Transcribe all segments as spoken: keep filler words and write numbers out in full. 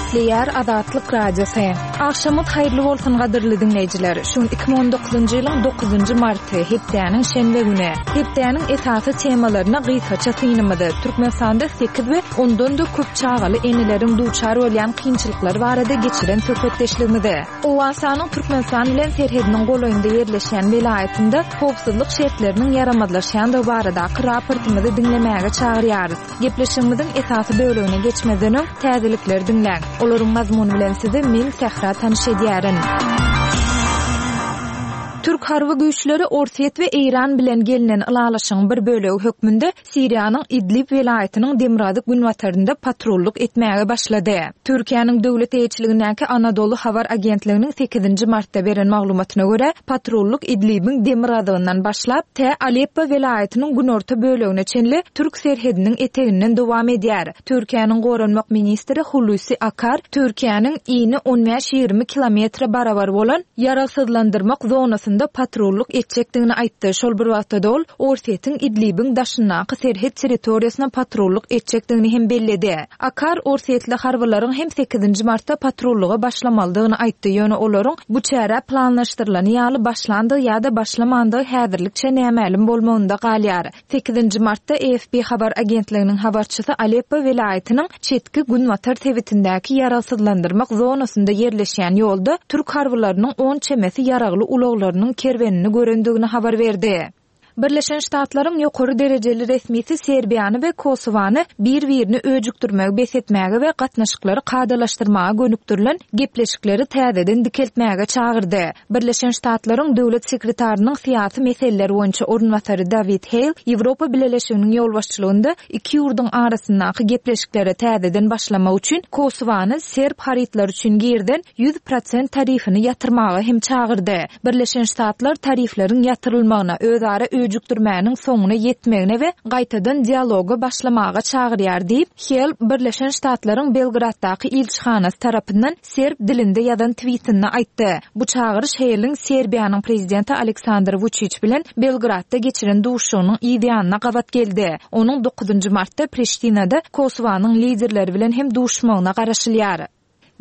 Gepleýär Azatlyk Radiosy. Agşamyňyz haýyrly bolsun gadyrly diňleýjiler. Şu gün iki müň on dokuzynjy ýylyň dokuzynjy marty, hepdäniň şenbe güni. Hepdäniň esasy temalaryna gysgaça synymyzy, Türkmenistanda sekiz we ondan-da köp çagaly eneleriň duçar bolýan kynçylyklary barada geçiren söhbetdeşligimizi, Owganystanyň Türkmenistan bilen serhediniň golaýynda ýerleşýän welaýatynda howpsuzlyk şertleriniň ýaramazlaşýandygy baradaky raportymyzy diňlemäge çagyrýarys. Gepleşigimiziň esasy bölegine geçmezden öň täzelikleri diňläň. Olaryň mazmuny bilen sizi men Sähra tanyş edýärin. Türk harby güýçleri Orsýet we Eýran bilen gelnen ylalaşygyň bir bölegi hökmünde Siriýanyň Idlib welaýatynyň demirgazyk-günbatarynda patrullyk etmäge başlady. Türkiýäniň döwlet eýeçiligindäki Anadolu habar agentliginiň sekizinji martda beren maglumatyna görä, patrullyk Idlibiň demirgazygyndan başlap, tä Aleppo welaýatynyň günorta bölegine çenli türk serhediniň eteginden dowam edýär. Türkiýäniň goranmak ministri Hulusi Akar Türkiýäniň ini on bäş-ýigrimi kilometre barabar bolan ýaragsyzlandyrmak zonasynda patrullyk etjekdigini aýtdy. Şol bir wagtda-da ol Orsýetiň Idlibiň daşyndaky serhet territoriýasyna patrullyk etjekdigini hem belledi. Akar orsýetli harbylaryň hem sekizinji martda patrullyga başlamalydygyny aýtdy. Ýöne olaryň bu çärä planlaşdyrylany ýaly başlandygy ýa-da başlamandygy häzirlikçe nämälim bolmagynda galýar. Sekizinji martda A F P habar agentliginiň habarçysy Aleppo welaýatynyň çetki günbatar sebitindäki ýaragsyzlandyrmak zonasynda ýerleşýän ýolda türk harbylarynyň on çemesi ýaragly ulaglarynyň kerwenini görendigini habar berdi. Birleşen Ştatlaryň ýokary derejeli resmisi Serbiýany we Kosowany bir-birini öjükdirmegi bes etmäge we gatnaşyklary kadalaşdyrmaga gönükdirilen gepleşikleri täzeden dikeltmäge çagyrdy. Birleşen Ştatlaryň döwlet sekretarynyň syýasy meseleler boýunça orunbasary David Hale Ýewropa Bileleşiginiň ýolbaşçylygynda iki ýurduň arasyndaky gepleşiklere täzeden başlamak üçin Kosowany serb harytlary üçin girden ýüz prosent tarifini ýatyrmaga hem çagyrdy. Birleşen Ştatlar tarifleriň ýatyrylmagyna, özara öjükdirmäniň soňuna ýetmegine we gaýtadan dialoga başlamaga çagyrýar diýip, Hale Birleşen Ştatlaryň Belgraddaky ilçihanasy tarapyndan serb dilinde ýazan tweetinde aýtdy. Bu çagyryş Hale'in Serbiýanyň prezidenti Aleksandr Vučić bilen Belgradda geçiren duşuşygynyň ýanyna gabat geldi. Onuň dokuzynjy martda Priştinada Kosowanyň liderleri bilen hem duşmagyna garaşylýar.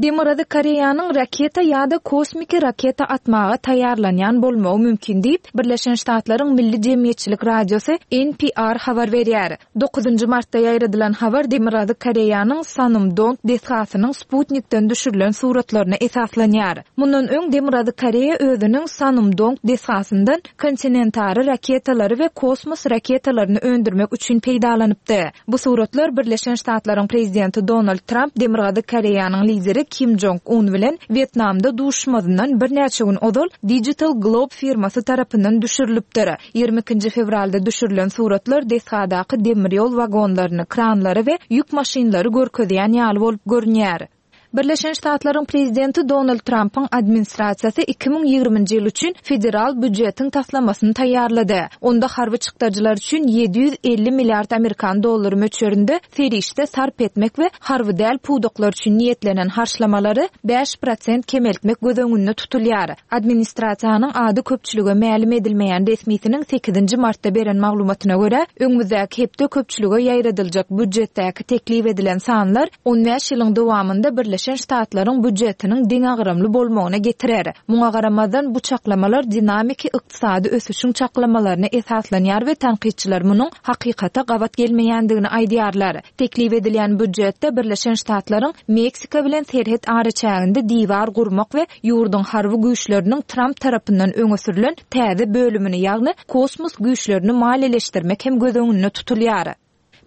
Demirgazyk Koreýanyň raketa ýa-da kosmiki raketa atmaga taýýarlanýan bolmagy mümkin diýip, Birleşen Ştatlaryň Milli Jemgyýetçilik Radiosy N P R habar berýär. Dokuzynjy martda ýaýradylan habar Demirgazyk Koreýanyň Sanumdong desgasynyň Sputnikden düşürilen suratlaryna esaslanýar. Mundan öň Demirgazyk Koreýa özüniň Sanumdong desgasyndan kontinentara raketalary we kosmos raketalaryny öndürmek üçin peýdalanypdy. Bu suratlar Birleşen Ştatlaryň prezidenti Donald Trump Demirgazyk Koreýanyň lideri Kim Jong-un bilen Wýetnamda duşmazyndan birnäçe gün ozal Digital Globe firmasy tarapyndan düşürilipdir. Ýigrimi ikinji fewralda düşürilen suratlar desgadaky demir ýol wagonlaryny, kranlary we ýük maşynlary görkezýän ýaly bolup görünýär. Birleşen Ştatlaryň prezidenti Donald Trumpyň administrasiýasy iki müň ýigriminji ýyl üçin federal býujetiň taslamasyny taýýarlady. Onda harby çykdajylar üçin ýedi ýüz elli milliard amerikan dollary möçberinde serişde sarp etmek we harby däl pudaklar üçin niýetlenen harçlamalary bäş prosent kemeltmek göz öňünde tutulýar. Administrasiýanyň ady köpçülige mälim edilmeýän resmisiniň sekizinji martda beren maglumatyna görä, öňümizdäki hepde köpçülige ýaýradyljak býujetdäki teklip edilen sanlar on bäş ýylyň dowamynda Birleşen Ştatlaryň býujetiniň deňagramly bolmagyna getirer. Muňa garamazdan bu çaklamalar dinamiki ykdysady ösüşiň çaklamalaryna esaslanýar we tankytçylar munuň hakykata gabat gelmeýändigini aýdýarlar. Teklip edilýän býujetde Birleşen Ştatlaryň Meksika bilen serhet araçäginde diwar gurmak we ýurduň harby güýçleriniň Trump tarapyndan öňe sürülen täze bölümini, ýagny kosmos güýçlerini maliýeleşdirmek hem göz öňünde tutulýar.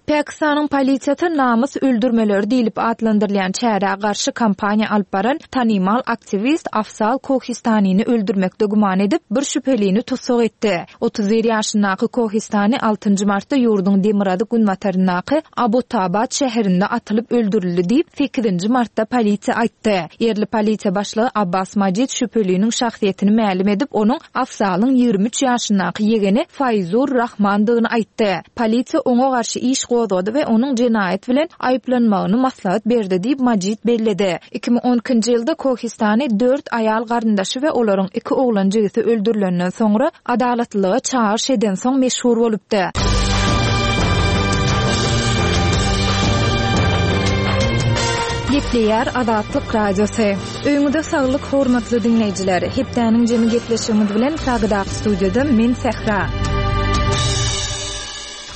Pakistanyň polisiýasy namys öldürmeleri diýlip atlandyrylýan çärä garşy kampaniýa alyp baran tanymal aktiwist Afzal Kohistanini öldürmekde güman edip, bir şübhelini tussag etdi. Otuz bir ýaşyndaky Kohistani altynjy martda ýurduň demirgazyk günbataryndaky Abbottabad şäherinde atylyp öldürildi diýip, sekizinji martda polisiýa aýtdy. Ýerli polisiýa başlygy Abbas Majid şübheliniň şahsyýetini mälim edip, onuň Afzalyň ýigrimi üç ýaşyndaky ýegeni Faýzur Rahmandygyny aýtdy. Polisiýa oňa garşy iş gozgady we onuň jenaýat bilen aýyplanmagyny maslahat berdi diýip Majid belledi. Iki müň on ikinji ýylda Kohistani dört aýal garyndaşy we olaryň iki oglan jigisi öldürilenden soňra adalatlylyga çagyryş eden soň meşhur bolupdy. Gepleýär Azatlyk Radiosy. Öýüňize saglyk, hormatly diňleýjiler. Hepdäniň jemi gepleşigimiz bilen Pragadaky studiýada men Sähra.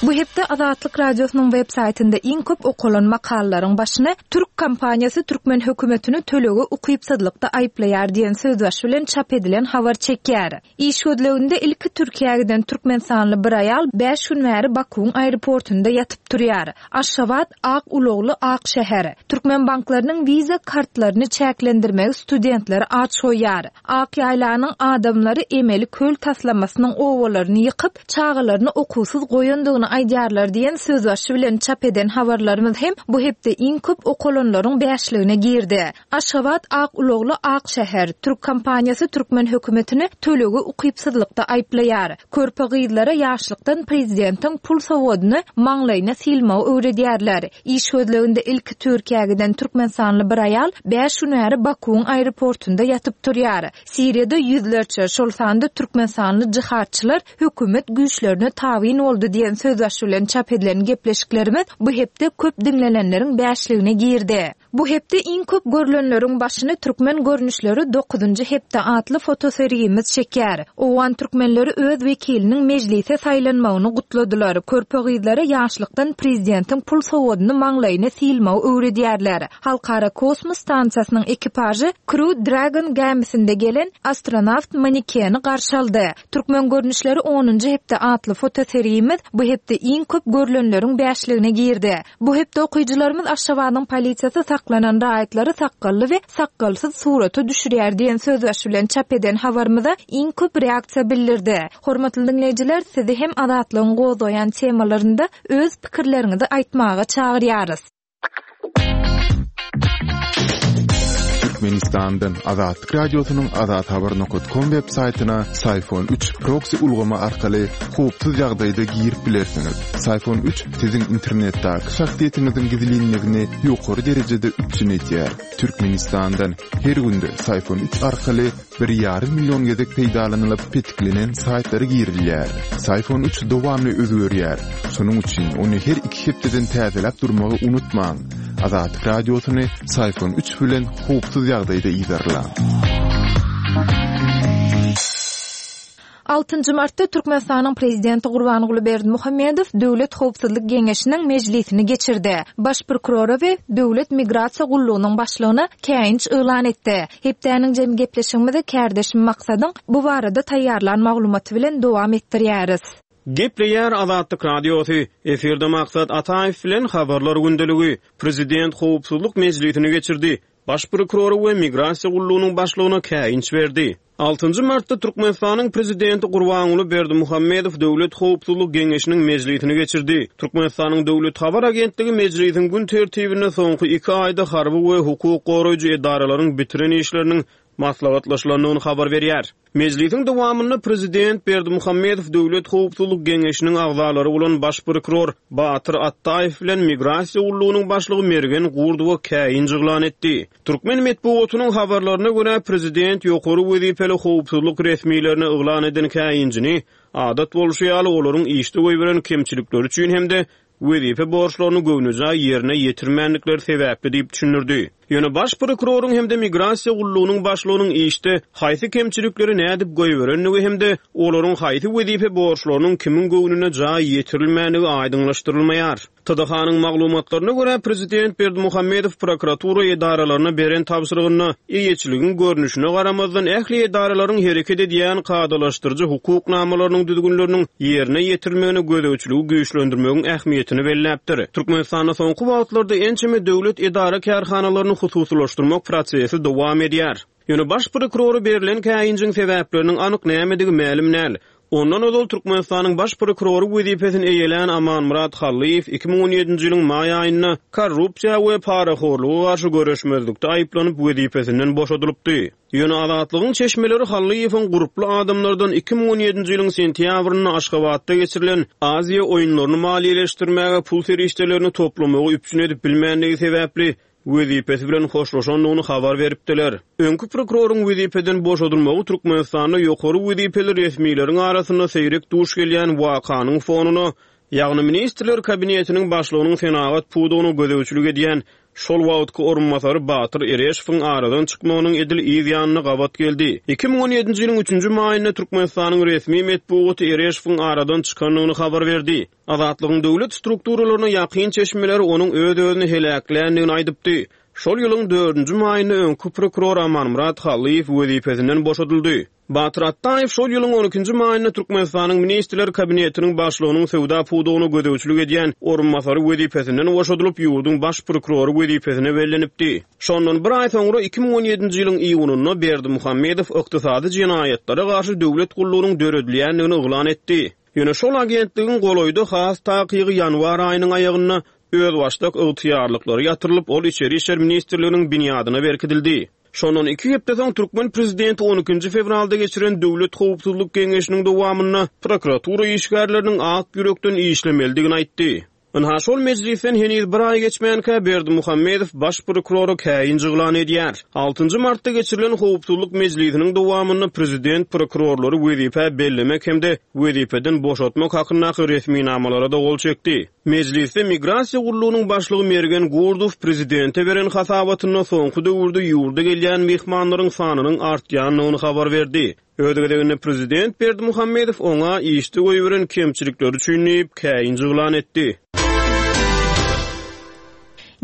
Bu hepde Azatlyk Radiosynyň web saýtynda iň köp okalan makalalaryň başyny Türk kompaniýasy türkmen hökümetini tölege ukypsyzlykda aýyplaýar diýen sözbaşy bilen çap edilen habar çekýär. Iş gözleginde ilki Türkiýä giden türkmenistanly bir aýal bäş gün bäri Bakuwyň aeroportunda ýatyp turýar. Aşgabat ak ulagly ak şäher. Türkmen banklarynyň Visa kartlaryny çäklendirmegi studentleri aç goýýar. Ak ýaýlanyň adamlary emeli köl taslamasynyň obalaryny ýykyp, çagalaryny okuwsyz goýandygyny aýdýarlar diýen sözbaşy bilen çap eden habarlarymyz hem bu hepde iň köp okalanlaryň bäşligine girdi. Aşgabat ak ulagly ak şäher. Türk kompaniýasy türkmen hökümetini tölege ukypsyzlykda aýyplaýar. Körpe gyzlara ýaşlykdan prezidentiň pul sowgadyny maňlaýyna sylmagy öwredýärler. Iş gözleginde ilki Türkiýä giden türkmenistanly bir aýal bäş gün bäri Bakuwyň aeroportunda ýatyp turýar. Siriýada ýüzlerçe, şol sanda türkmenistanly jihadçylar hökümet güýçlerine tabyn boldy diýen sözbaşy bilen çap edilen gepleşiklerimiz bu hepde köp diňlenenleriň bäşligine girdi. Bu hepde iň köp görülenleriň başyny Türkmen görnüşleri dokuzynjy hepde atly fotosergimiz çekýär. Owgan türkmenleri öz wekiliniň mejlise saýlanmagyny gutladylar. Körpe gyzlara ýaşlykdan prezidentiň pul sowgadyny maňlaýyna sylmagy öwredýärler. Halkara kosmos stansiýasynyň ekipažy Crew Dragon gämisinde gelen astronawt manekeni garşy aldy. Türkmen görnüşleri onunjy hepde atly fotosergimiz bu hepde iň köp görülenleriň bäşligine girdi. Bu hepde okyjylarymyz Aşgabadyň polisiýasy saklanan raýatlary sakgally we sakgalsyz surata düşürýär diýen sözbaşy bilen çap eden habarymyza iň köp reaksiýa bildirdi. Hormatly diňleýjiler, sizi hem Azatlygyň gozgaýan temalarynda öz pikirleriňizi aýtmaga çagyrýarys. Türkmenistandan Azatlyk Radiosynyň azathabar nokta com web saýtyna Syfon üç proxy ulgamy arkaly howpsuz ýagdaýda girip bilersiňiz. Syfon üç siziň internetdäki şahsyýetiňiziň gizlinligini ýokary derejede üpjün edýär. Türkmenistandan her günde Syfon üç arkaly bir ýarym million gezek peýdalanylyp petiklenen saýtlara girilýär. Syfon üç dowamly özgerýär. Şonuň üçin ony her iki hepdeden täzeläp durmagy unutmaň. Azatlyk Radiosyny Syfon üç bilen howpsuz ýagdaýda ýerleň. Altynjy martda Türkmenistanyň prezidenti Gurbanguly Berdimuhamedow Döwlet Howpsuzlyk Geňeşiniň mejlisini geçirdi. Baş prokurora we Döwlet Migrasiýa gullugynyň başlygyna käýinç yglan etdi. Hepdäniň jemi gepleşigimizi kärdeşim Maksadyň bu barada taýýarlan maglumaty bilen dowam etdirýäris. Gepleýär Azatlyk Radiosy. Efirde Maksat Ataýew bilen habarlar gündeligi. Prezident Howpsuzlyk mejlisini geçirdi. Baş prokurory we Migrasiýa gullugynyň başlygyna käýinç berdi. Altynjy martda Türkmenistanyň prezidenti Gurbanguly Berdimuhamedow Döwlet Howpsuzlyk Geňeşiniň mejlisini geçirdi. Türkmenistanyň Döwlet Habar Agentligi mejlisiň gün tertibinde soňky iki aýda harby we hukuk goraýjy edaralaryň bitiren işleriniň maslahatlaşylandygyny habar berýär. Mejlisiň dowamynda prezident Berdimuhamedow Döwlet Howpsuzlyk Geňeşiniň agzalary bolan baş prokuror Batyr Atdaýew bilen Migrasiýa gullugynyň başlygy Mergen Gurdowa käýinç yglan etdi. Türkmen metbugatynyň habarlaryna görä prezident ýokary wezipeli howpsuzlyk resmilerine yglan eden käýinjini adat bolşy ýaly olaryň işde goýberen kemçilikleri üçin hem-de wezipe borçlaryny göwnüjaý ýerine ýetirmändikleri sebäpli diýip düşündirdi. Ýöne baş prokuroryň hem-de Migrasiýa gullugynyň başlygynyň işde haýsy kemçilikleri nädip goýberendigi hem-de olaryň haýsy wezipe borçlarynyň kimiň göwnüne jaý ýetirilmändigi aýdyňlaşdyrylmaýar. T D H-nyň maglumatlaryna görä prezident Berdimuhamedow prokuratura edaralaryna beren tabşyrygynda eýeçiligiň görnüşine garamazdan ähli edaralaryň hereket edýän kadalaşdyryjy hukuk namalarynyň düzgünleriniň ýerine ýetirilmegine gözegçiligi güýçlendirmegiň ähmiýetini belläpdir. Türkmenistanda soňky wagtlarda ençeme döwlet edara kärhanalaryny hususylaşdyrmak prosesi dowam edýär. Ýöne baş prokurory berlen käýinjiň sebäpleriniň anyk nämedigi mälim däl. Ondan ozal Türkmenistanyň baş prokurory wezipesini eýelän Amanmyrat Hallyýew iki müň on ýedinji ýylyň maý aýynda korrupsiýa we parahorluga garşy göreşmezlikde aýyplanyp wezipesinden boşadylypdy. Ýöne Azatlygyň çeşmeleri Hallyýewiň gurply adamlardan iki müň on ýedinji ýylyň sentýabrynda Aşgabatda geçirilen Aziýa oýunlaryny maliýeleşdirmäge pul serişdelerini toplamagy üpjün edip bilmändigi sebäpli wezipesi bilen hoşlaşandygyny habar beripdiler. Öňki prokuroryň wezipeden boşadylmagy Türkmenistanda ýokary wezipeli resmileriň arasynda seýrek duş gelýän wakanyň fonuna, Ýagny Ministrler Kabinetiniň başlygynyň senagat pudagyna gözegçilik edýän şol wagtky orunbasary Batyr Ereşowyň aradan çykmagynyň edil yz ýanyna gabat geldi. Iki müň on ýedinji ýylyň üçünji maýynda Türkmenistanyň resmi metbugaty Ereşowyň aradan çykandygyny habar berdi. Azatlygyň döwlet strukturalaryna ýakyn çeşmeleri onuň öz-özüni heläkländigini aýdypdy. Şol ýylyň dördünji maýynda öňki prokuror Amanmyrat Hallyýew wezipesinden boşadyldy. Batyr Atdaýew şol ýylyň on ikinji maýynda Türkmenistanyň Ministrler Kabinetiniň başlygynyň söwda pudagyna gözegçilik edýän orunbasary wezipesinden boşadylyp, ýurduň baş prokurory wezipesine bellenipdi. Şondan bir aý soňra iki müň on ýedinji ýylyň iýunynda Berdimuhamedow ykdysady jenaýatlara garşy döwlet gullugynyň döredilýändigini yglan etdi. Ýöne şol agentligiň golaýda has takygy ýanwar aýynyň aýagynda özbaşdak ygtyýarlyklary ýatyrylyp, ol Içeri işler ministrliginiň binýadyna berkidildi. Şondan iki hepde soň türkmen prezidenti on ikinji fewralda geçiren Döwlet Howpsuzlyk Geňeşiniň dowamynda prokuratura işgärleriniň ak ýürekden işlemelidigini aýtdy. Ynha şol mejlisden heniz bir aý geçmänkä Berdimuhamedow baş prokurora käýinç yglan edýär. Altynjy martda geçirilen Howpsuzlyk mejlisiniň dowamynda prezident prokurorlary wezipä bellemek hem-de wezipeden boşatmak hakyndaky resminamalara da gol çekdi. Mejlisde migrasiýa gullugynyň başlygy Mergen Gurdow prezidente beren hasabatynda soňky döwürde ýurda gelýän myhmanlaryň sanynyň artýandygyny habar berdi. Öz gezeginde prezident Berdimuhamedow oňa işde goýberen kemçilikleri üçin diýip käýinç yglan etdi.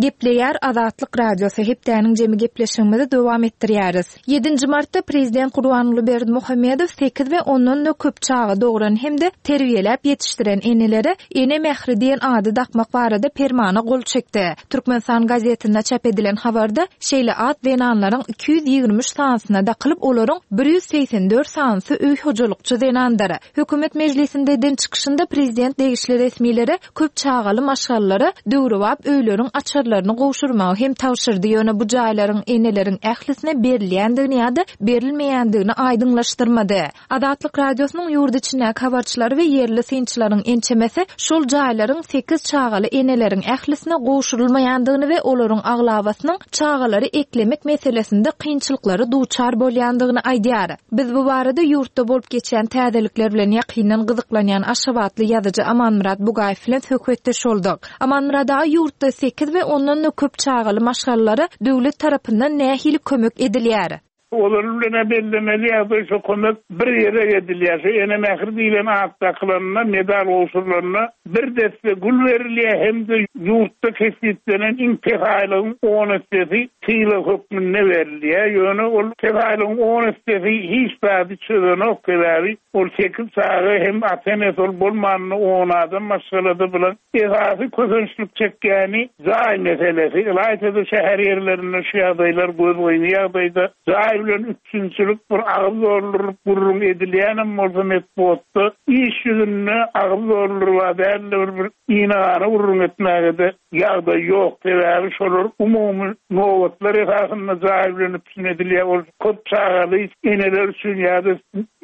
Gepleýär Azatlyk Radiosy hepdäniň jemi gepleşigimizi dowam etdirýäris. Ýedinji martda prezident Gurbanguly Berdimuhamedow sekiz we ondan da köp çaga dogran hem-de terbiýeläp ýetişdiren enelere Ene mähri diýen ady dakmak barada permana gol çekdi. Türkmenistan gazetinde çap edilen habarda şeýle at zenanlaryň iki ýüz ýigrimi üç sanysyna dakylyp, olaryň bir ýüz segsen dört sanysy öý hojalykçy zenandyr. Hökümet mejlisinde eden çykyşynda prezident degişli resmilere köp çagaly maşgalalara döwrebap öýleriň açarlaryny gowşurmagy hem tabşyrdy. Ýöne bu jaýlaryň eneleriň ählisine berilýändigini ýa-da berilmeýändigini aýdyňlaşdyrmady. Azatlyk Radiosynyň ýurt içindäki habarçylary we ýerli synçylaryň ençemesi şol jaýlaryň sekiz çagaly eneleriň ählisine gowşurylmaýandygyny we olaryň aglabasynyň çagalary eklemek meselesinde kynçylyklara duçar bolýandygyny aýdýar. Biz bu barada ýurtda bolup geçýän täzelikler bilen ýakyndan gyzyklanýan Aşgabatly ýazyjy Amanmyrat Bugaýew bilen söhbetdeş bolduk. Amanmyrat aga, ýurtda sekiz we ondan da köp çagaly maşgalalara döwlet tarapyndan nähili kömek edilýär? Olar bilen bellemeli ýagdaý şu kömek bir ýere edilýär. Şu ene mähri diýlen at dakylanynda, medal gowşurylanda bir desse gül berilýär hem-de ýurtda kesgitlenen iň pes aýlygyň on essesi sylag hökmünde berilýär. Ýöne ol pes aýlygyň on essesi hiç zady çözenok, sebäbi ol sekiz çaga hem ata-enesi ol bolmanynda on adam maşgalada bilen esasy kösençlik çekýäni jaý meselesi. Ylaýta-da şäher ýerlerinde şu ýagdaýlar gözgyny ýagdaýda jaý bilen üpjünçilik bir agyz dolduryp gürrüň edilýänem bolsa metbugatda iş ýüzünde agyz dolduryp dälde bir, bir inagana gürrüň etmäge-de ýagdaý ýok. Sebäbi şolar umumy nobatlar esasynda jaý bilen üpjün edilýär. Ol köp çagaly eneler üçin ýa-da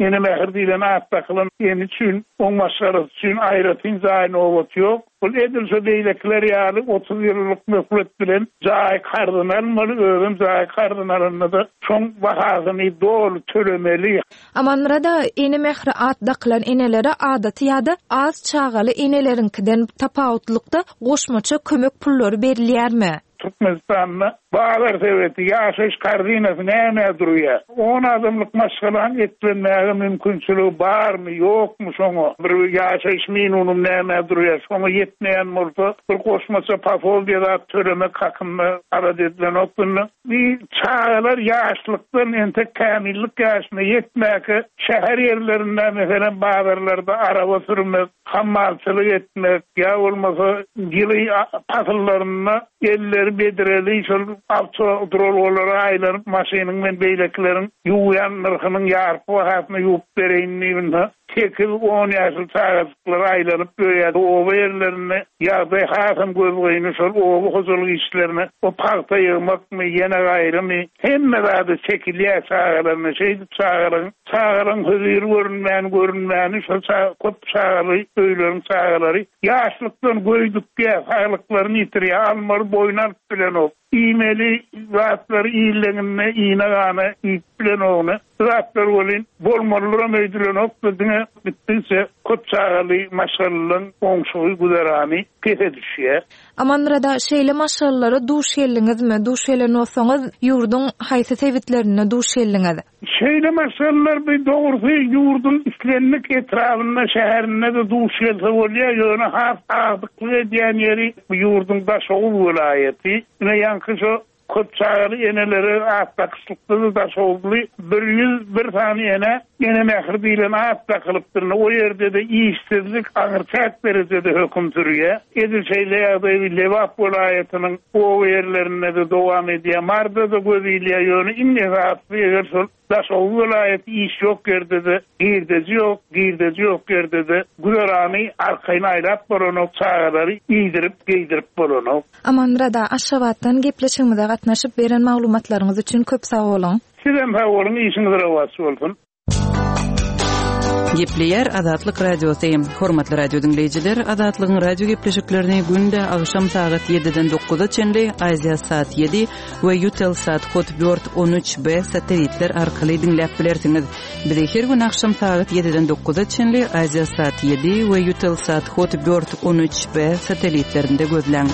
ene mähir diýlen at dakylan ene üçin, oň maşgalasy üçin aýratyn jaý nobaty ýok. Ol edil şo beýlekiler ýaly otuz ýyllyk möhlet bilen jaý karzyny almaly, özem jaý karzyny alanda-da şoň bahasyny doly tölemeli. Amanmyrat aga, ene mähri at dakylan enelere adaty ýa-da az çagaly eneleriňkiden tapawutlykda goşmaça kömek pullary berilýärmi? Türkmenistanda bazar sebeti, ýaşaýyş korzinasy näme durýar? On adamlyk maşgalanyň etlenmäge mümkinçiligi barmy, ýokmy şoňa? Bir ýaşaýyş minimum näme durýar? Şoňa ýetmeýän bolsa bir goşmaça posoldiýa zat tölemek hakynda alada edilenok bunda. Bir çagalar ýaşlykdan entek kämillik ýaşyna ýetmäge şäher ýerlerinde, meselem, bazarlarda araba sürmek, hammalçylyk etmek, ýa bolmasa ýyly pasyllarynda elleri bedireli şol awtoduralgalara aýlanyp maşynyň men beýlekileriň ýuwýan nyrhynyň ýarpy bahasyna ýuwup bereýin diýip, sekiz on ýaşly çagajyklar aýlanyp ýörýär. Oba ýerlerinde ýagdaý hasam gözgyny, şol oba hojalyk işlerine o pagta ýygmakmy, ýene gaýrymy, hemme zady çekilýär çagalaryna. Şeýdip çagalaryň, çagalaryň höziri görünmän, görünmäni şol ça-, köp çagaly öýleriň çagalary ýaşlykdan göýdükýär, saglyklaryny ýitirýär, almaly boýun alyp bilenok. Iýmeli zatlary illeňinde iýne-gana iýip bilenogny. Zatlar welin bolmalydyram öýdülenokdy, diňe gitdigiçe köp çagaly maşgalalaryň oňşugy güzerany pese düşýär. Amanmyrat aga, şeýle maşgalalara duş geldiňizmi? Duş gelen bolsaňyz, ýurduň haýsy sebitlerinde duş geldiňiz? Şeýle maşgalalar bir dogrusy ýurduň islendik etrabynda, şäherinde-de duş gelse bolýar, ýöne has agdyklyk edýän ýeri bu ýurduň Daşoguz welaýaty. Ine ýaňky şo köp çagaly enelere at dakyşlykda-da Daşoguzly bir ýüz bir sany enä Ene mähri diýlen at dakylypdyr. O ýerde-de işsizlik aňyrçäk derejede höküm sürýär. Edil şeýle ýagdaý Lebap welaýatynyň oba ýerlerinde-de dowam edýär. Marda-da göz ilýär, ýöne iň esasysy eger şol Daşoguz welaýaty iş ýok ýerde-de girdeji ýok, girdeji ýok ýerde-de güzerany arkaýyn aýlap bolanok, çagalary iýdirip, geýdirip bolanok. Amanmyrat aga, Aşgabatdan gepleşigimize gatnaşyp beren maglumatlaryňyz üçin köp sag boluň. Sizem sag boluň, işiňiz rowaç bolsun. Gepleýär Azatlyk Radiosy. Hormatly radio diňleýjiler, Azatlygyň radio gepleşiklerini günde agşam sagat ýediden dokuza çenli Aziýa Sat ýedi we Eutelsat Hotbird on üç B satelitler arkaly diňläp bilersiňiz. Bizi her gün agşam sagat ýediden dokuza çenli Aziýa Sat ýedi we Eutelsat Hotbird on üç B satelitlerinde gözläň.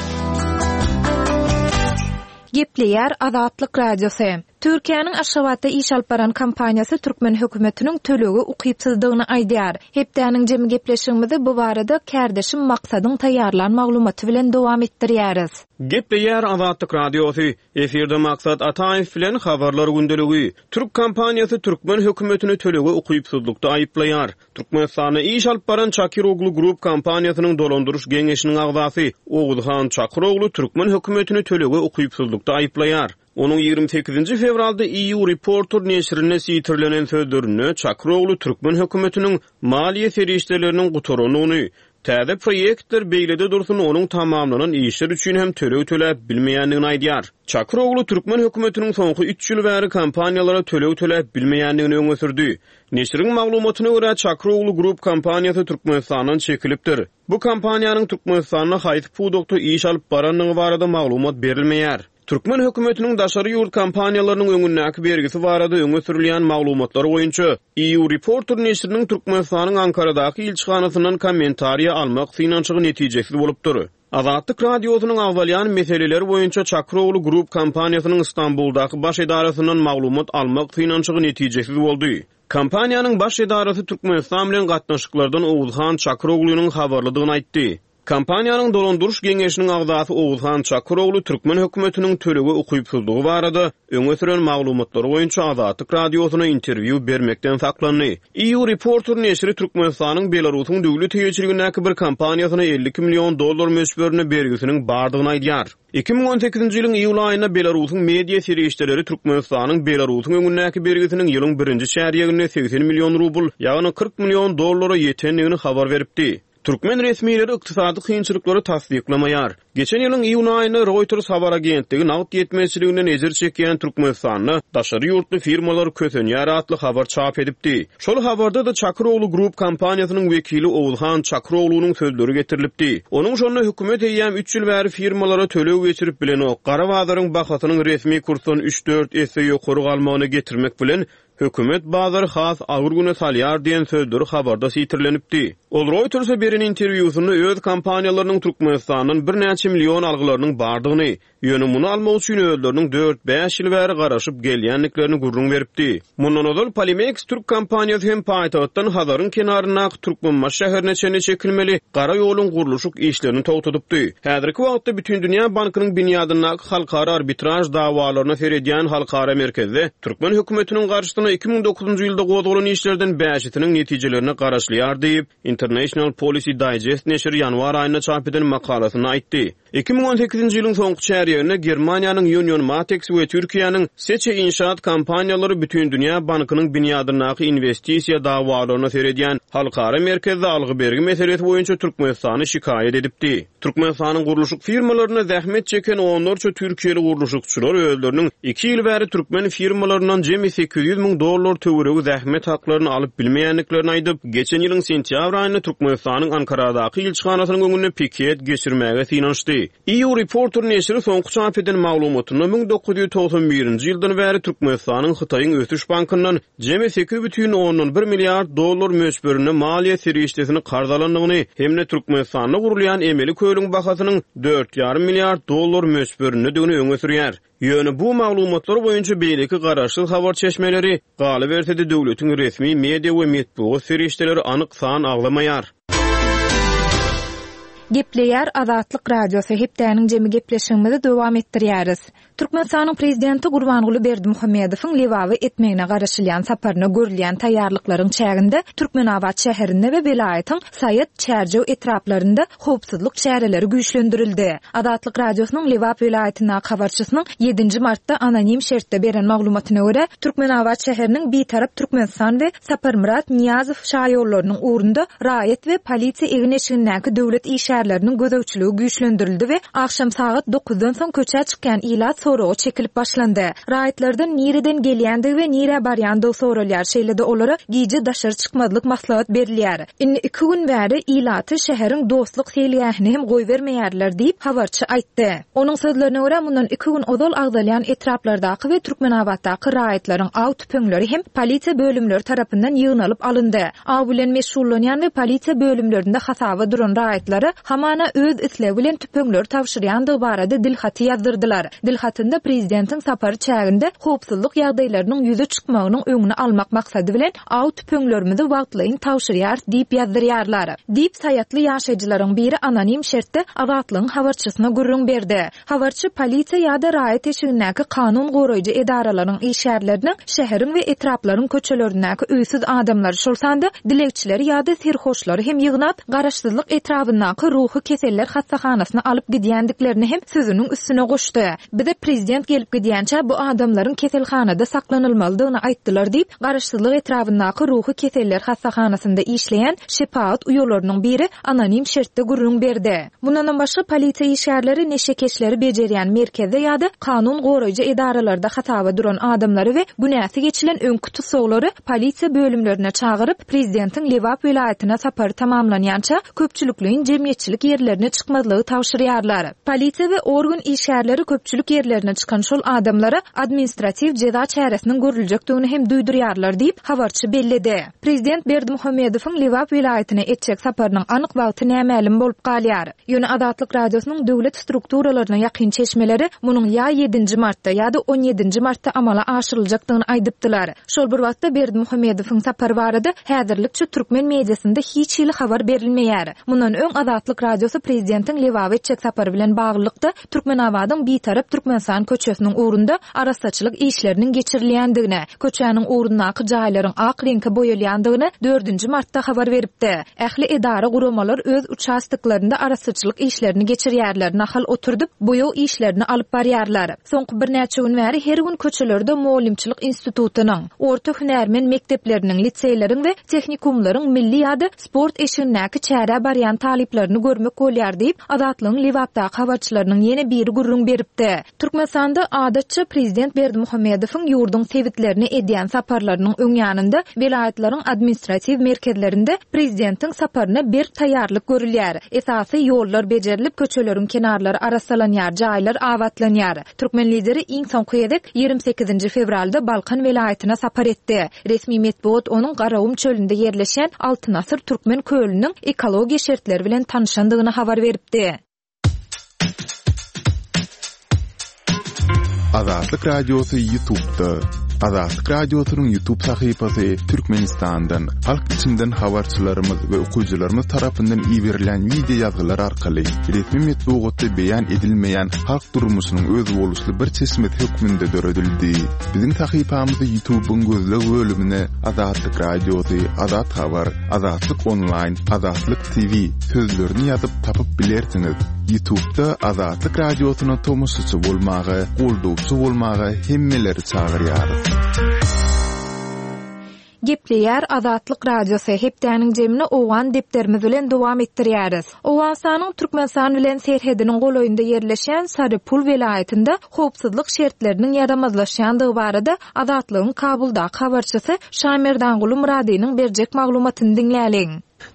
Gepleýär Azatlyk Radiosy. Türkiýäniň Aşgabatda iş alyp baran kompaniýasy türkmen hökümetiniň tölegi ukypsyzdygyny aýdýar. Hepdäniň jemi gepleşigimizi bu barada kärdeşim Maksadyň taýýarlan maglumaty bilen dowam etdirýäris. Gepleýär Azatlyk Radiosy. Efirde Maksat Ataýew bilen habarlar gündeligi. Türk kompaniýasy türkmen hökümetini tölege ukypsyzlykda aýyplaýar. Türkmenistanda iş alyp baran Çakiroglu Group kompaniýasynyň dolandyryş geňeşiniň agzasy Oguzhan Çakiroglu türkmen hökümetini tölege ukypsyzlykda aýyplaýar. Onuň ýigrimi sekizinji fewralda E U Reporter neşirinde sitirlenen sözlerinde Çakiroglu türkmen hökümetiniň maliýe serişdeleriniň gutarandygyny, täze proýektler beýlede dursun onuň tamamlanan işler üçin hem töleg töläp bilmeýändigini aýdýar. Çakiroglu türkmen hökümetiniň soňky üç ýyl bäri kompaniýalara töleg töläp bilmeýändigini öňe sürdi. Neşiriň maglumatyna görä Çakiroglu Group kompaniýasy Türkmenistandan çekilipdir. Bu kompaniýanyň Türkmenistanda haýsy pudakda iş alyp barandygy barada maglumat berilmeýär. Türkmen hökümetiniň daşary ýurt kompaniýalarynyň öňündäki bergisi barada öňe sürülýän maglumatlar boýunça E U Reporter neşiriniň Türkmenistanyň Ankaradaky ilçihanasyndan kommentariýa almak synanyşygy netijesiz bolupdyr. Azatlyk Radiosynyň agzalýan meseleler boýunça Çakiroglu Group kompaniýasynyň Istanbuldaky baş edarasyndan maglumat almak synanyşygy netijesiz boldy. Kompaniýanyň baş edarasy Türkmenistan bilen gatnaşyklardan Oguzhan Çakiroglunyň habarlydygyny aýtdy. Kompaniýanyň dolandyryş geňeşiniň agzasy Oguzhan Çakiroglu türkmen hökümetiniň tölege ukypsyzlygy barada öňe süren maglumatlary boýunça Azatlyk Radiosyna interwýu bermekden saklandy. E U Reporter neşiri Türkmenistanyň Belarusyň döwlet eýeçiligindäki bir kompaniýasyna elli iki million dollar möçberinde bergisiniň bardygyny aýdýar. Iki müň on sekizinji ýylyň iýul aýynda Belarusyň media serişdeleri Türkmenistanyň Belarusyň öňündäki bergisiniň ýylyň birinji çärýeginde segsen million rubl, ýagny kyrk million dollara ýetendigini habar beripdi. Türkmen resmileri ykdysady kynçylyklary tassyklamaýar. Geçen ýylyň iýun aýynda Reuters habar agentligi nagt ýetmezçiliginden ejir çekýän Türkmenistanda daşary ýurtly firmalar kösenýär atly habar çap edipdi. Şol habarda da Çakiroglu Group kompaniýasynyň wekili Oguzhan Çakiroglunyň sözleri getirilipdi. Onuň şonda hökümet eýýäm üç ýyl bäri firmalara töleg geçirip bilenok, gara bazaryň bahasynyň resmi kursdan üç-dört esse ýokary galmagyny getirmek bilen hökümet bazary has agyr güne salýar diýen sözleri habarda sitirlenipdi. Ol Reuters'e beren interwýusynda öz kompaniýalarynyň Türkmenistandan birnäçe million algylarynyň bardygyny, ýöne muny almak üçin özleriniň dört-bäş ýyl bäri garaşyp gelýändiklerini gürrüň beripdi. Mundan ozal Polimeks Türk kompaniýasy hem paýtagtdan Hazaryň kenaryndaky Türkmenbaşy şäherine çenli çekilmeli gara ýoluň gurluşyk işlerini togtadypdy. Häzirki wagtda Bütindünýä Bankynyň binýadyndaky halkara arbitraj dawalaryna seredýän halkara merkezde türkmen hökümetiniň garşysyna iki müň dokuzunjy ýylda gozgalan işlerden bäşisiniň netijelerine garaşylýar diýip, International Policy Digest neşiri ýanwar aýynda çap eden makalasynda aýtdy. Iki müň on sekizinji ýylyň soňky çärýeginde Germaniýanyň Union Matex we Türkiýäniň Seçe İnşaat kompaniýalary Bütindünýä Bankynyň binýadyndaky investisiýa dawalaryna seredýän halkara merkezde algy bergi meselesi boýunça Türkmenistany şikaýat edipdi. Türkmenistanyň gurluşyk firmalarynda zähmet çeken onlarça türkiýeli gurluşykçylar özleriniň iki ýyl bäri türkmen firmalaryndan jemi sekiz ýüz müň dollar töweregi zähmet haklaryny alyp bilmeýändiklerini aýdyp, geçen ýylyň sentýabr aýynda Türkmenistanyň Ankaradaky ilçihanasynyň öňünde piket geçirmäge synanyşdy. E U Reporter neşiri soňky çap eden maglumatynda müň dokuz ýüz togsan birinji ýyldan bäri Türkmenistanyň Hytaýyň ösüş bankyndan jemi sekiz bütin ondan bir milliard dollar möçberinde maliýe serişdesini karz alandygyny hem-de Türkmenistanda gurulýan emeli kölüň bahasynyň dört ýarym milliard dollar möçberindedigini öňe sürýär. Ýöne bu maglumatlar boýunça beýleki garaşsyz habar çeşmeleri, galyberse-de döwletiň resmi media we metbugat serişdeleri anyk san agzamaýar. Gepleýär Azatlyk Radiosy hepdäniň jemi gepleşigimizi dowam etdirýäris. Türkmenistanyň prezidenti Gurbanguly Berdimuhamedowyň Lebaby etmegine garaşylýan saparyna görülýän taýýarlyklaryň çäginde Türkmenabat şäherinde we welaýatyň Saýat Çärjew etraplarynda howpsuzlyk çäreleri güýçlendirildi. Azatlyk Radiosynyň Lebap welaýatyndaky habarçysynyň ýedinji martda anonim şertde beren maglumatyna görä, Türkmenabat şäheriniň Bitarap Türkmenistan we Saparmyrat Niýazow şaýollarynyň ugrunda raýat we polisiýa egin-eşigindäki döwlet işgärleriniň gözegçiligi güýçlendirildi we akşam sagat dokuzdan soň köçä çykýan ilat soraga çekilip başlandy. Raýatlardan nireden gelýändigi we nirä barýandygy soralýar. Şeýle-de olara gije daşary çykmazlyk maslahat berilýär. Indi iki gün bäri ilaty şäheriň dostluk seýilgähini hem goýbermeýärler diýip habarçy aýtdy. Onuň sözlerine görä mundan iki gün ozal agzalýan etraplardaky we Türkmenabatdaky raýatlaryň aw tüpeňleri hem polisiýa bölümleri tarapyndan ýygnalyp alyndy. Aw bilen meşgullanýan we polisiýa bölümlerinde hasaba duran raýatlara hamana öz islegi bilen tüpeňleri tabşyrýandygy barada dilhaty ýazdyrdylar. Dilhatynda prezidentiň sapary çäginde howpsuzlyk ýagdaýlarynyň ýüze çykmagynyň öňüni almak maksady bilen aw tüpeňlerimizi wagtlaýyn tabşyrýar diýip ýazdyrýarlar. Diýip saýatly ýaşaýjylaryň biri anonim şertde Azatlygyň habarçysyna gürrüň berdi. Habarçy polisiýa ýa-da raýat eşigindäki kanun goraýjy edaralaryň işgärleriniň şäheriň we etraplaryň köçelerindäki öýsüz adamlary, şol sanda dilegçileri ýa-da serhoşlary hem ýygnap, Garaşsyzlyk etrabyndaky ruhy keseller hassahanasyna alyp gidýändiklerini hem sözüniň üstüne goşdy. Bize prezident gelip gidýänçä bu adamlaryň keselhanada saklanylmalydygyny aýtdylar diýip, Garaşsyzlyk etrabyndaky ruhy keseller hassahanasynda işleýän şepagat uýalarynyň biri anonim şertde gürrüň berdi. Mundan başga polisiýa işgärleri neşekeşleri bejerýän merkezde ýa-da kanun goraýjy edaralarda hasaba duran adamlary we günäsi geçilen öňki tutsaglary polisiýa bölümlerine çagyryp, prezidentiň Lebap welaýatyna sapary tamamlanýança köpçülikleýin jemgyýetçilik ýerlerine çykmazlygy tabşyrýarlar. Polisiýa we organ işgärleri köpçülik ýerlerine çykan şol adamlara administratiw jeza çäresiniň görüljekdigini hem duýdurýarlar diýip habarçy belledi. Prezident Berdimuhamedowyň Lebap welaýatyna etjek saparynyň anyk wagty nämälim bolup galýar. Ýöne Azatlyk Radiosynyň döwlet strukturalaryna ýakyn çeşmeleri munuň ýa ýedinji martda ýa-da on ýedinji martda amala aşyryljakdygyny aýdypdylar. Şol bir wagtda Berdimuhamedowyň sapary barada häzirlikçe türkmen mediasynda hiç hili habar berilmeýär. Mundan öň Azatlyk Radiosy prezidentiň Lebap etjek sapary bilen baglylykda Türkmenabadyň Bitarap Türkmenistan köçesiniň ugrunda arassaçylyk işleriniň geçirilýändigini, köçäniň ugrundaky jaýlaryň ak reňke boýalýandygyny dördünji martda habar beripdi. Ähli edara guramalar öz uçastoklarynda arassaçylyk işlerini geçirýärler, nahal oturdyp, boýaw işlerini alyp barýarlar. Soňky birnäçe gün bäri her gün köçelerde muallimçilik institutynyň, orta hünärmen mekdepleriniň, liseýleriň we tehnikumlaryň milli ýa-da sport eşigindäki çärä barýan talyplaryny görmek bolýar diýip, Azatlygyň Lebapdaky habarçylarynyň ýene biri gürrüň beripdi. Türkmenistanda adatça prezident Berdimuhamedowyň ýurduň sebitlerine edýän saparlarynyň öň ýanynda welaýatlaryň administratiw merkezlerinde prezidentiň saparyna berk taýýarlyk görülýär. Esasy ýollar bejerilip, köçeleriň kenarlary arassalanýar, jaýlar abatlanýar. Türkmen lideri iň soňky gezek ýigrimi sekizinji fewralda Balkan welaýatyna sapar etdi. Resmi metbugat onuň Garagum çölünde ýerleşen Altyn Asyr Türkmen kölüniň ekologiýa şertleri bilen tanyşandygyny habar beripdi. Azatlyk Radiosy YouTube'da. Azatlyk Radiosynyň YouTube sahypasy Türkmenistandan, halk içinden habarçylarymyz we okyjylarymyz tarapyndan iberilen video ýazgylar arkaly resmi metbugatda beýan edilmeýän halk durmuşynyň özboluşly bir çeşmesi hökmünde döredildi. Biziň sahypamyzy YouTube'yň gözleg bölümine Azatlyk Radiosy, Azat Habar, Azatlyk Online, Azatlyk T V sözlerini ýazyp tapyp bilersiňiz. YouTube'da Azatlyk Radiosyna tomaşaçy bolmaga, goldawçy bolmaga hemmeleri çagyrýarys. Gepleýär Azatlyk Radiosy hepdäniň jemini Owgan depderimiz bilen dowam etdirýäris. Owganystanyň Türkmenistan bilen serhediniň golaýynda ýerleşen Sarypul welaýatynda howpsuzlyk şertleriniň ýaramazlaşýandygy barada Azatlygyň Kabuldaky habarçysy Şamerdanguly Muradynyň berjek maglumatyny diňläliň.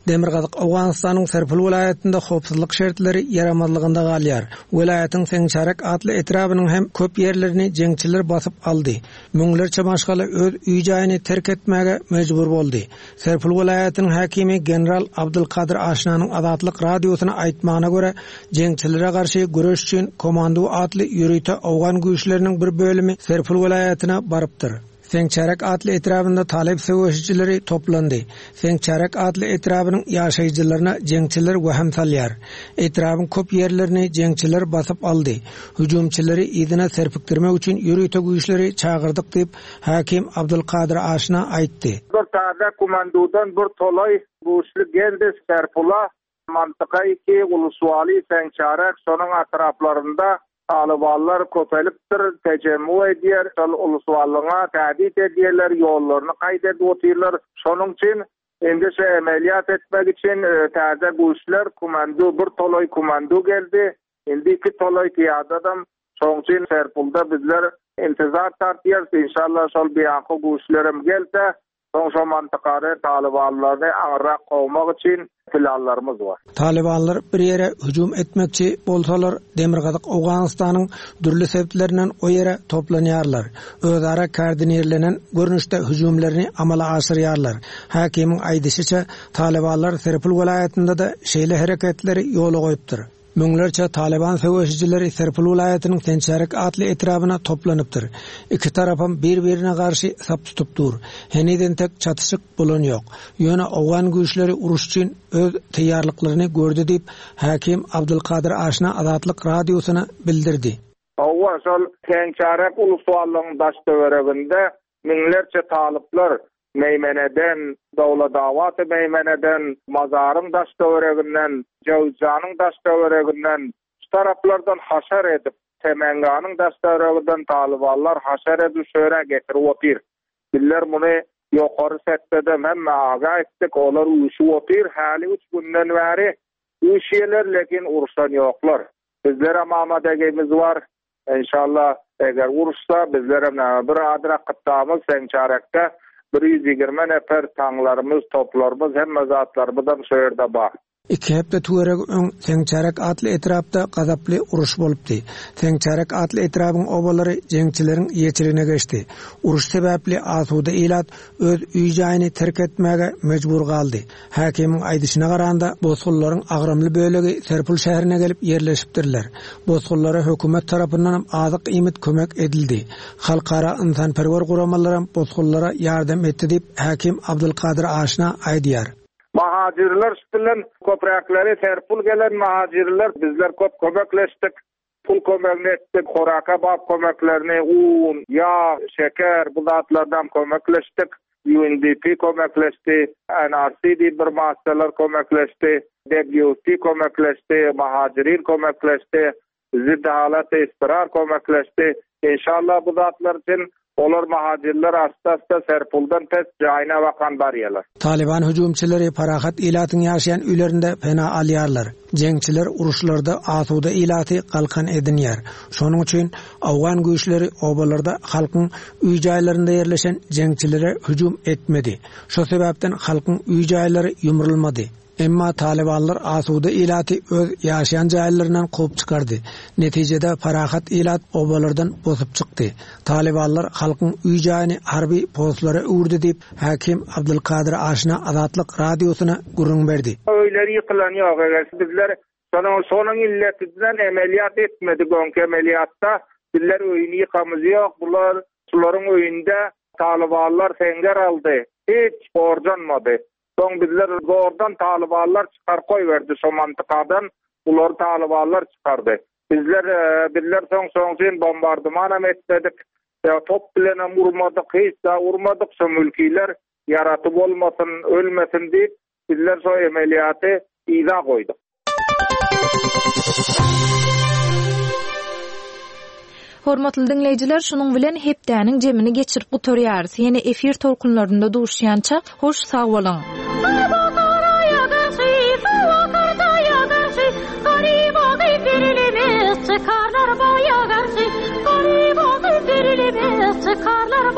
Demirgazyk Owganystanyň Serpul welaýatynda howpsuzlyk şertleri ýaramazlygynda galýar. Welaýatyň Seňçarek atly etrabynyň hem köp ýerlerini jeňçiler basyp aldy. Müňlerçe maşgala öz öý jaýyny terk etmäge mejbur boldy. Serpul welaýatynyň häkimi general Abdulkadir Aşnanyň Azatlyk radiosyna aýtmagyna görä, jeňçilere garşy göreş üçin Komando atly ýörite Owgan güýçleriniň bir bölümi Serpul welaýatyna barypdyr. Seňçarek atly etrabynda talyp söweşijileri toplandy. Seňçarek atly etrabynyň ýaşaýjylaryna jeňçiler wehim salýar. Etrabyň köp ýerlerini jeňçiler basyp aldy. Hüjümçileri yzyna serpikdirmek üçin ýörite güýçleri çagyrdyk diýip, hakim Abdulkadir Aşna aýtdy. Bir täze komandodan bir tolay güýçli geldi Serpula, mantyka iki uluswali Seňçarek şonuň atraplarynda Talybanlar köpelipdir, tejemmu edýär, şol uluswalyňa tädit edýärler, ýollaryny kaýt edip otyrlar. Şonuň üçin indi şu emeliyat etmek üçin e, täze güýçler komando bir tolay komando geldi. Indi iki tolay piyadadam. Şonuň üçin Serpulda bizler intizar tartýarys. Inşallah şol biýanky güýçlerim gelse, soň şo mantykary talybanlaryny aňrak kowmak üçin planlarymyz bar. Talybanlar bir ýere hüjüm etmekçi bolsalar, Demirgazyk Owganystanyň dürli sebitlerinden o ýere toplanýarlar. Özara koordinirlenen görnüşde hüjümlerini amala aşyrýarlar. Hakimiň aýdyşyça, Talybanlar Serpul welaýatynda da şeýle hereketleri ýola goýupdyr. Müňlerçe Taliban söweşijileri Serpul welaýatynyň Sençarek atly etrabyna toplanypdyr. Iki tarapam bir-birine garşy sap tutup dur. Henizden entek çatyşyk bolan ýok. Ýöne Owgan güýçleri uruş üçin öz taýýarlyklaryny gördi diýip, hakim Abdulkadir Aşna Azatlyk radiosyna bildirdi. Hawa, şol Sençarek uluswalygyň daş töwereginde müňlerçe talyplar Meymeneden, Dawladawaty Meymeneden, Mazaryň daş töwereginden, Jawzanyň daş töwereginden, şu taraplardan haşar edip, Temenganyň daş töwereginden talybanlar haşar edip şöre getirip otyr. Bizler muny ýokary setdede hemme aga etdik, olar uyuşup otyr, häli üç günden bäri uyuşýarlar, lekin uruşan ýoklar. Bizler hem amadegimiz var. İnşallah eger uruşsa bizler hem bir adyra kıttamız Seňçarekde bir ýüz ýigrimi nefer taňlarymyz, toplarymyz, hemme zatlarymyz hem şu ýerde bar. Iki hepde töweregi öň Seňçarek atly etrapda gazaply uruş bolupdy. Seňçarek atly etrabyň obalary jeňçileriň ýeçiligine geçdi. Uruş sebäpli asuda ilat öz öý jaýyny terk etmäge mejbur galdy. Hakimiň aýdyşyna garanda bosgunlaryň agramly bölegi Serpul şäherine gelip ýerleşipdirler. Bosgunlara hökümet tarapyndan azyk iýmit kömek edildi. Halkara insanperwer guramalary bosgunlara ýardam etdi diýip hakim Abdulkadir Aşna aýdýar. Mahacirler bilen köpräkleri Serpul gelen mahacirler bizler köp kömekleşdik. Pul kömegini etdik, horaka bap kömeklerini, un, ýag, şeker bu zatlardan kömekleşdik. U N D P kömekleşdi, N R C diýip bir masterler kömekleşdi, W T kömekleşdi, mahacirin kömekleşdi, ziddi halat istirar kömekleşdi. İnşallah bu zatlar üçin olar mahacirler asta-asta Serpuldan pes jaýyna bakan barýarlar. Taliban hüjümçileri parahat ilatyň ýaşaýan öýlerinde pena alýarlar. Jeňçiler uruşlarda asuda ilaty galkan edinýär. Şonuň üçin Awgan güýçleri obalarda halkyň öý jaýlarynda ýerleşen jeňçilere hüjüm etmedi. Şo sebäpden halkyň öý jaýlary ýumrulmady. Emma Talibanlar asuda ilaty öz ýaşaýan jaýlaryndan kowup çykardy. Netijede parahat ilat obalardan bosup çykdy. Talibanlar halkyň öý jaýyny harby postlara öwürdi diýip, hakim Abdulkadir Aşna Azatlyk radiosyna gürrüň berdi. Öýleri ýykylan ýok, eger bizler şonuň şonuň illetinden emeliyat etmedik, öňki emeliyatda bizler öýüni ýykamyz ýok. Bular şularyň öýünde Talibanlar seňger aldy. Hiç borjanmady. Soň bizler zordan Talibanlar çykar koy verdi şo mantykadan. Bular Talibanlar çykardy. Bizler, e, bizler soň soň üçin bombardıman hem etmedik. E, top bilen hem urmadyk, hiç da urmadyk. Şo mülkiler ýaraty bolmasyn, ölmesin diýip bizler şo emeliyaty iza goýduk. Hormatly diňleýjiler, şunuň bilen hepdäniň jemini geçirip gutarýarys. Ýene efir tolkunlarynda duşýança, hoş sag boluň. Çykarlar baýa garşy, garyba berilmez, çykarlar